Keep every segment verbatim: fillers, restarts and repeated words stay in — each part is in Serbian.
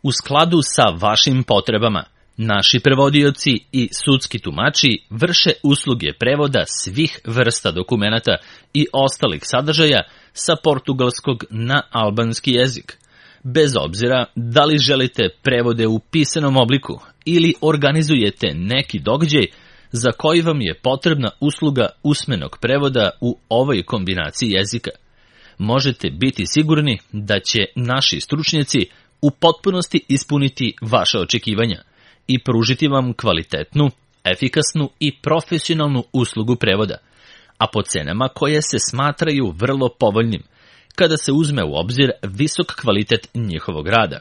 U skladu sa vašim potrebama, naši prevodioci i sudski tumači vrše usluge prevoda svih vrsta dokumenata i ostalih sadržaja sa portugalskog na albanski jezik, bez obzira da li želite prevode u pisanom obliku ili organizujete neki događaj za koji vam je potrebna usluga usmenog prevoda u ovoj kombinaciji jezika. Možete biti sigurni da će naši stručnjaci u potpunosti ispuniti vaše očekivanja i pružiti vam kvalitetnu, efikasnu i profesionalnu uslugu prevoda, a po cenama koje se smatraju vrlo povoljnim, kada se uzme u obzir visok kvalitet njihovog rada.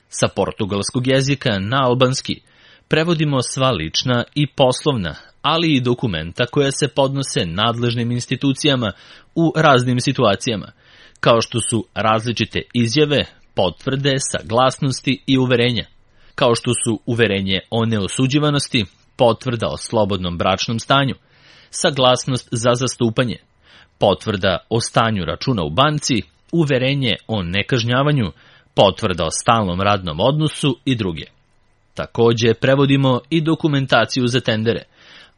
Sa portugalskog jezika na albanski prevodimo sva lična i poslovna, ali i dokumenta koja se podnose nadležnim institucijama u raznim situacijama, kao što su različite izjave, potvrde, saglasnosti i uverenja, kao što su uverenje o neosuđivanosti, potvrda o slobodnom bračnom stanju, saglasnost za zastupanje, potvrda o stanju računa u banci, uverenje o nekažnjavanju, potvrda o stalnom radnom odnosu i druge. Takođe prevodimo i dokumentaciju za tendere,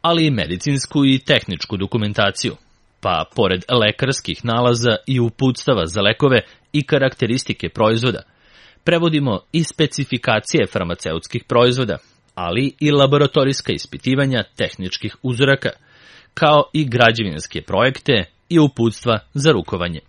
ali i medicinsku i tehničku dokumentaciju, pa pored lekarskih nalaza i uputstava za lekove i karakteristike proizvoda, prevodimo i specifikacije farmaceutskih proizvoda, ali i laboratorijska ispitivanja tehničkih uzoraka, kao i građevinske projekte i uputstva za rukovanje.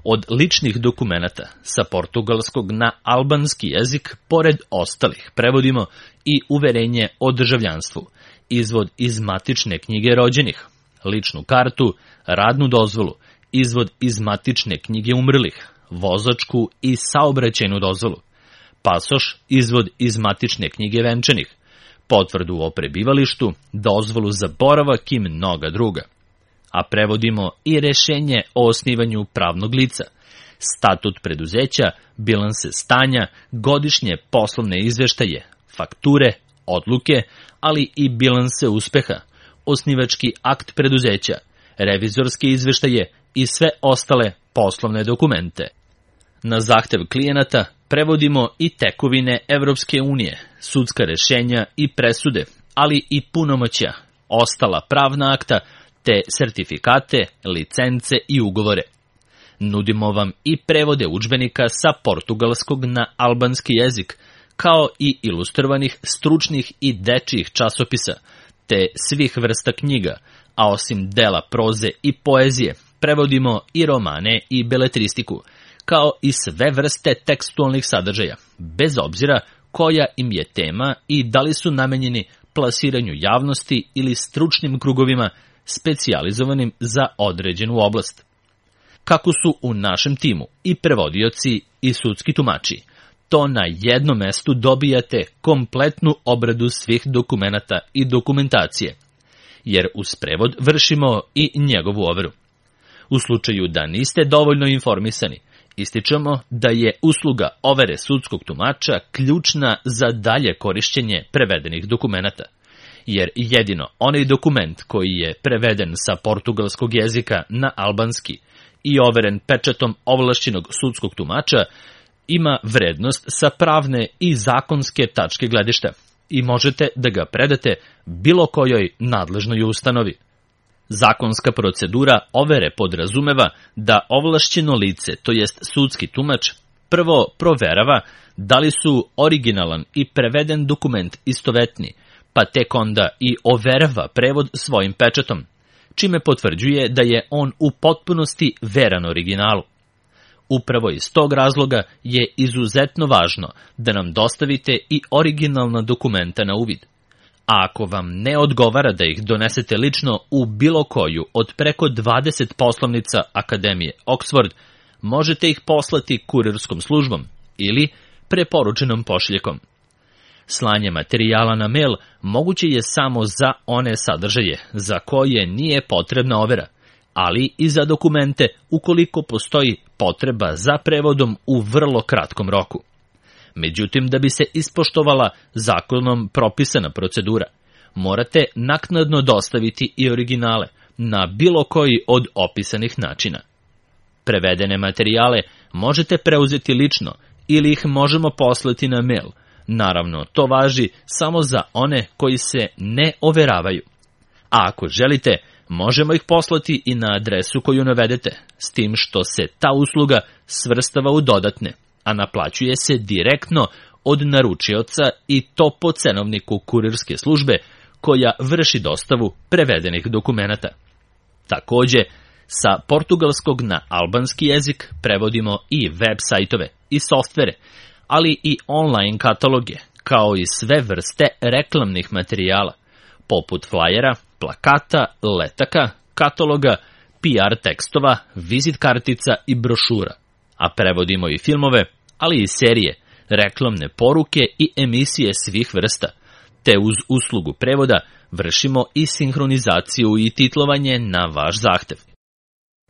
Od ličnih dokumenata sa portugalskog na albanski jezik, pored ostalih, prevodimo i uverenje o državljanstvu, izvod iz matične knjige rođenih, ličnu kartu, radnu dozvolu, izvod iz matične knjige umrlih, vozačku i saobraćajnu dozvolu, pasoš, izvod iz matične knjige venčanih, potvrdu o prebivalištu, dozvolu za boravak i mnoga druga. A prevodimo i rešenje o osnivanju pravnog lica, statut preduzeća, bilanse stanja, godišnje poslovne izveštaje, fakture, odluke, ali i bilanse uspeha, osnivački akt preduzeća, revizorske izveštaje i sve ostale poslovne dokumente. Na zahtev klijenata prevodimo i tekovine Evropske unije, sudska rešenja i presude, ali i punomoćja, ostala pravna akta, te sertifikate, licence i ugovore. Nudimo vam i prevode udžbenika sa portugalskog na albanski jezik, kao i ilustrovanih stručnih i dečijih časopisa, te svih vrsta knjiga, a osim dela proze i poezije, prevodimo i romane i beletristiku, kao i sve vrste tekstualnih sadržaja, bez obzira koja im je tema i da li su namenjeni plasiranju javnosti ili stručnim krugovima specijalizovanim za određenu oblast. Kako su u našem timu i prevodioci i sudski tumači, to na jednom mestu dobijate kompletnu obradu svih dokumenata i dokumentacije, jer uz prevod vršimo i njegovu overu. U slučaju da niste dovoljno informisani, ističemo da je usluga overe sudskog tumača ključna za dalje korišćenje prevedenih dokumenata, jer jedino onaj dokument koji je preveden sa portugalskog jezika na albanski i overen pečatom ovlašćenog sudskog tumača ima vrednost sa pravne i zakonske tačke gledišta i možete da ga predate bilo kojoj nadležnoj ustanovi. Zakonska procedura overe podrazumeva da ovlašćeno lice, to jest sudski tumač, prvo proverava da li su originalan i preveden dokument istovetni, pa tek onda i overava prevod svojim pečatom, čime potvrđuje da je on u potpunosti veran originalu. Upravo iz tog razloga je izuzetno važno da nam dostavite i originalna dokumenta na uvid. A ako vam ne odgovara da ih donesete lično u bilo koju od preko dvadeset poslovnica Akademije Oxford, možete ih poslati kurirskom službom ili preporučenom pošiljkom. Slanje materijala na mail moguće je samo za one sadržaje za koje nije potrebna overa, ali i za dokumente ukoliko postoji potreba za prevodom u vrlo kratkom roku. Međutim, da bi se ispoštovala zakonom propisana procedura, morate naknadno dostaviti i originale na bilo koji od opisanih načina. Prevedene materijale možete preuzeti lično ili ih možemo poslati na mail. Naravno, to važi samo za one koji se ne overavaju. A ako želite, možemo ih poslati i na adresu koju navedete, s tim što se ta usluga svrstava u dodatne, a naplaćuje se direktno od naručioca i to po cenovniku kurirske službe koja vrši dostavu prevedenih dokumenata. Takođe, sa portugalskog na albanski jezik prevodimo i web sajtove i softvere, ali i online kataloge, kao i sve vrste reklamnih materijala, poput flajera, plakata, letaka, kataloga, P R tekstova, vizit kartica i brošura. A prevodimo i filmove, ali i serije, reklamne poruke i emisije svih vrsta, te uz uslugu prevoda vršimo i sinhronizaciju i titlovanje na vaš zahtev.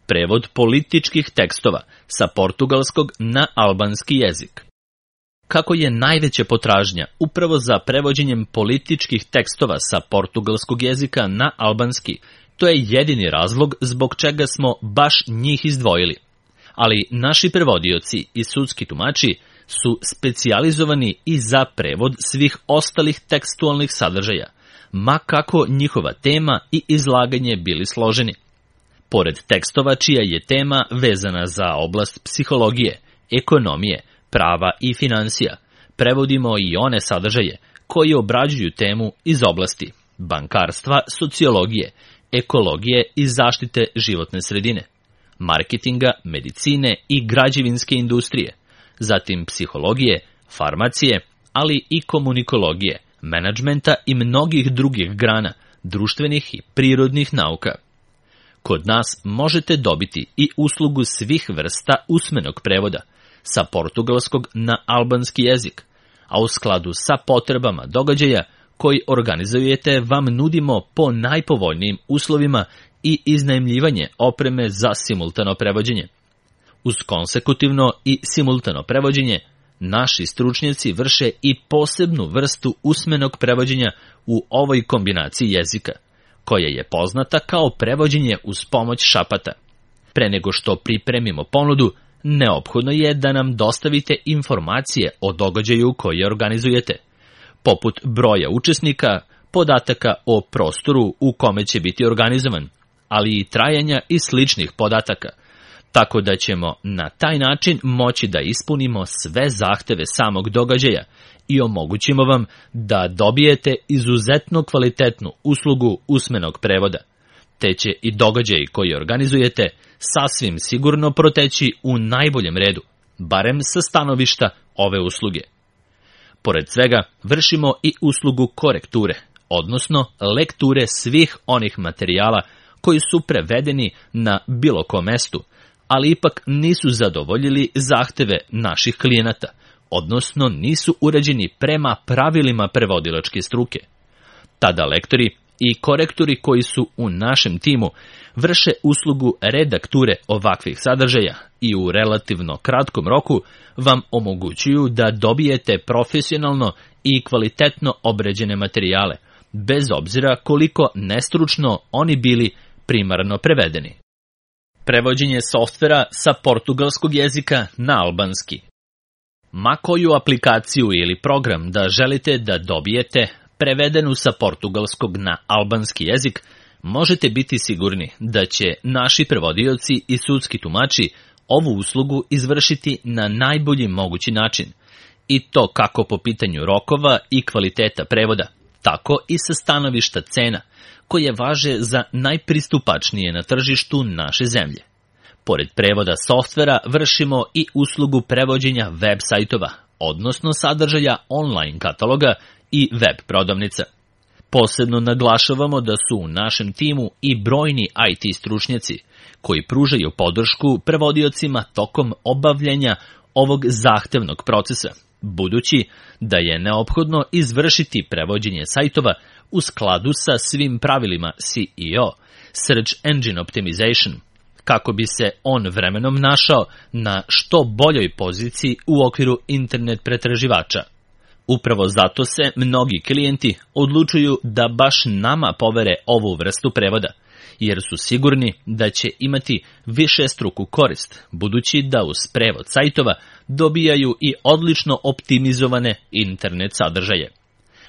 Prevod političkih tekstova sa portugalskog na albanski jezik. Kako je najveća potražnja upravo za prevođenjem političkih tekstova sa portugalskog jezika na albanski, to je jedini razlog zbog čega smo baš njih izdvojili. Ali naši prevodioci i sudski tumači su specijalizovani i za prevod svih ostalih tekstualnih sadržaja, ma kako njihova tema i izlaganje bili složeni. Pored tekstova čija je tema vezana za oblast psihologije, ekonomije, prava i finansija, prevodimo i one sadržaje koji obrađuju temu iz oblasti bankarstva, sociologije, ekologije i zaštite životne sredine, marketinga, medicine i građevinske industrije, zatim psihologije, farmacije, ali i komunikologije, menadžmenta i mnogih drugih grana, društvenih i prirodnih nauka. Kod nas možete dobiti i uslugu svih vrsta usmenog prevoda, sa portugalskog na albanski jezik, a u skladu sa potrebama događaja koji organizujete vam nudimo po najpovoljnijim uslovima i iznajmljivanje opreme za simultano prevođenje. Uz konsekutivno i simultano prevođenje, naši stručnjaci vrše i posebnu vrstu usmenog prevođenja u ovoj kombinaciji jezika, koja je poznata kao prevođenje uz pomoć šapata. Pre nego što pripremimo ponudu, neophodno je da nam dostavite informacije o događaju koji organizujete, poput broja učesnika, podataka o prostoru u kome će biti organizovan, ali i trajanja i sličnih podataka, tako da ćemo na taj način moći da ispunimo sve zahteve samog događaja i omogućimo vam da dobijete izuzetno kvalitetnu uslugu usmenog prevoda, te će i događaji koji organizujete sasvim sigurno proteći u najboljem redu, barem sa stanovišta ove usluge. Pored svega, vršimo i uslugu korekture, odnosno lekture svih onih materijala koji su prevedeni na bilo kom mestu, ali ipak nisu zadovoljili zahteve naših klijenata, odnosno nisu uređeni prema pravilima prevodilačke struke. Tada lektori i korektori koji su u našem timu vrše uslugu redakture ovakvih sadržaja i u relativno kratkom roku vam omogućuju da dobijete profesionalno i kvalitetno obrađene materijale, bez obzira koliko nestručno oni bili primarno prevedeni. Prevođenje softvera sa portugalskog jezika na albanski. Ma koju aplikaciju ili program da želite da dobijete prevedenu sa portugalskog na albanski jezik, možete biti sigurni da će naši prevodioci i sudski tumači ovu uslugu izvršiti na najbolji mogući način, i to kako po pitanju rokova i kvaliteta prevoda, tako i sa stanovišta cena, koje važe za najpristupačnije na tržištu naše zemlje. Pored prevoda softvera vršimo i uslugu prevođenja web sajtova, odnosno sadržaja online kataloga i web prodavnica. Posebno naglašavamo da su u našem timu i brojni I T stručnjaci koji pružaju podršku prevodiocima tokom obavljanja ovog zahtevnog procesa, budući da je neophodno izvršiti prevođenje sajtova u skladu sa svim pravilima S E O, Search Engine Optimization, kako bi se on vremenom našao na što boljoj poziciji u okviru internet pretraživača. Upravo zato se mnogi klijenti odlučuju da baš nama povere ovu vrstu prevoda, jer su sigurni da će imati višestruku korist, budući da uz prevod sajtova dobijaju i odlično optimizovane internet sadržaje.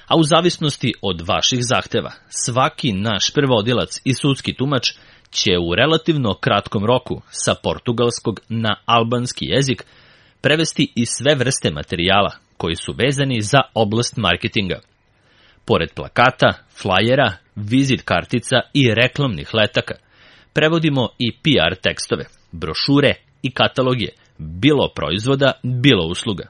A u zavisnosti od vaših zahteva, svaki naš prevodilac i sudski tumač će u relativno kratkom roku sa portugalskog na albanski jezik prevesti i sve vrste materijala koji su vezani za oblast marketinga. Pored plakata, flajera, vizit kartica i reklamnih letaka, prevodimo i P R tekstove, brošure i kataloge, bilo proizvoda, bilo usluga.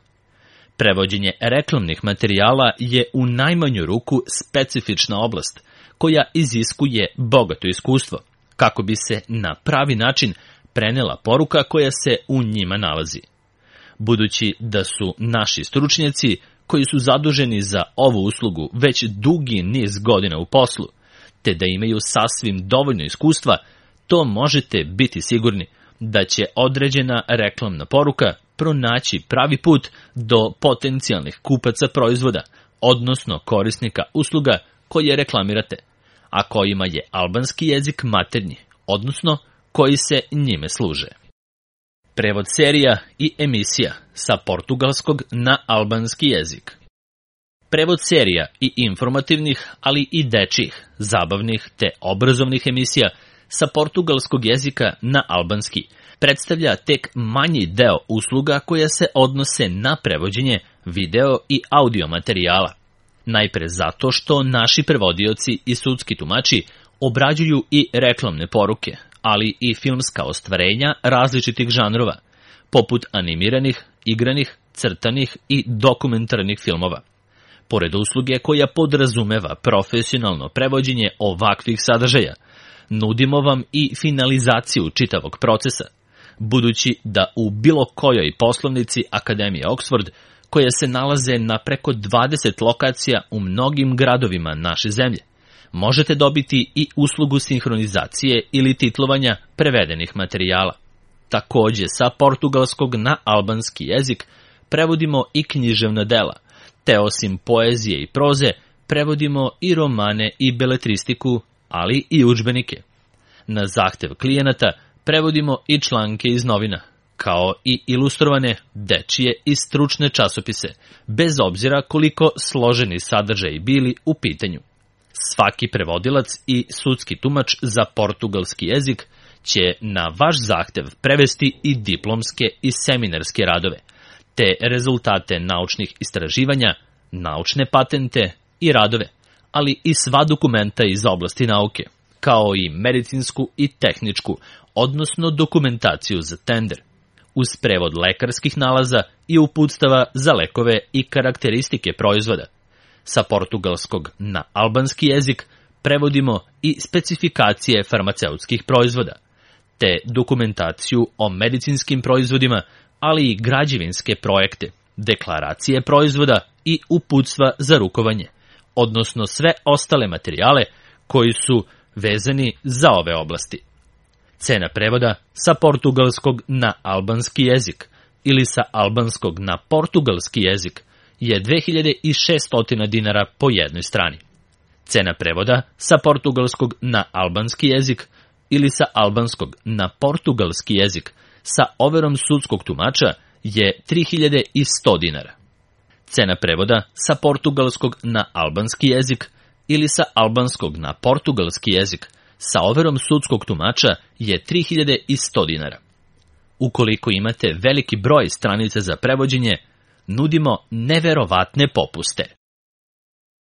Prevođenje reklamnih materijala je u najmanju ruku specifična oblast koja iziskuje bogato iskustvo, kako bi se na pravi način prenela poruka koja se u njima nalazi. Budući da su naši stručnjaci koji su zaduženi za ovu uslugu već dugi niz godina u poslu, te da imaju sasvim dovoljno iskustva, to možete biti sigurni da će određena reklamna poruka pronaći pravi put do potencijalnih kupaca proizvoda, odnosno korisnika usluga koje reklamirate, a kojima je albanski jezik maternji, odnosno koji se njime služe. Prevod serija i emisija sa portugalskog na albanski jezik. Prevod serija i informativnih, ali i dečjih, zabavnih te obrazovnih emisija sa portugalskog jezika na albanski predstavlja tek manji deo usluga koja se odnose na prevođenje video i audio materijala. Najpre zato što naši prevodioci i sudski tumači obrađuju i reklamne poruke, ali i filmska ostvarenja različitih žanrova, poput animiranih, igranih, crtanih i dokumentarnih filmova. Pored usluge koja podrazumeva profesionalno prevođenje ovakvih sadržaja, nudimo vam i finalizaciju čitavog procesa, budući da u bilo kojoj poslovnici Akademije Oxford, koje se nalaze na preko dvadeset lokacija u mnogim gradovima naše zemlje, možete dobiti i uslugu sinhronizacije ili titlovanja prevedenih materijala. Takođe, sa portugalskog na albanski jezik prevodimo i književna dela, te osim poezije i proze, prevodimo i romane i beletristiku, ali i udžbenike. Na zahtev klijenata prevodimo i članke iz novina, kao i ilustrovane, dečije i stručne časopise, bez obzira koliko složeni sadržaji bili u pitanju. Svaki prevodilac i sudski tumač za portugalski jezik će na vaš zahtev prevesti i diplomske i seminarske radove, te rezultate naučnih istraživanja, naučne patente i radove, ali i sva dokumenta iz oblasti nauke, kao i medicinsku i tehničku, odnosno dokumentaciju za tender, uz prevod lekarskih nalaza i uputstava za lekove i karakteristike proizvoda. Sa portugalskog na albanski jezik prevodimo i specifikacije farmaceutskih proizvoda, te dokumentaciju o medicinskim proizvodima, ali i građevinske projekte, deklaracije proizvoda i uputstva za rukovanje, odnosno sve ostale materijale koji su vezani za ove oblasti. Cena prevoda sa portugalskog na albanski jezik ili sa albanskog na portugalski jezik je dve hiljade šesto dinara po jednoj strani. Cena prevoda sa portugalskog na albanski jezik ili sa albanskog na portugalski jezik sa overom sudskog tumača je tri hiljade sto dinara. Cena prevoda sa portugalskog na albanski jezik ili sa albanskog na portugalski jezik sa overom sudskog tumača je tri hiljade sto dinara. Ukoliko imate veliki broj stranica za prevođenje, nudimo neverovatne popuste.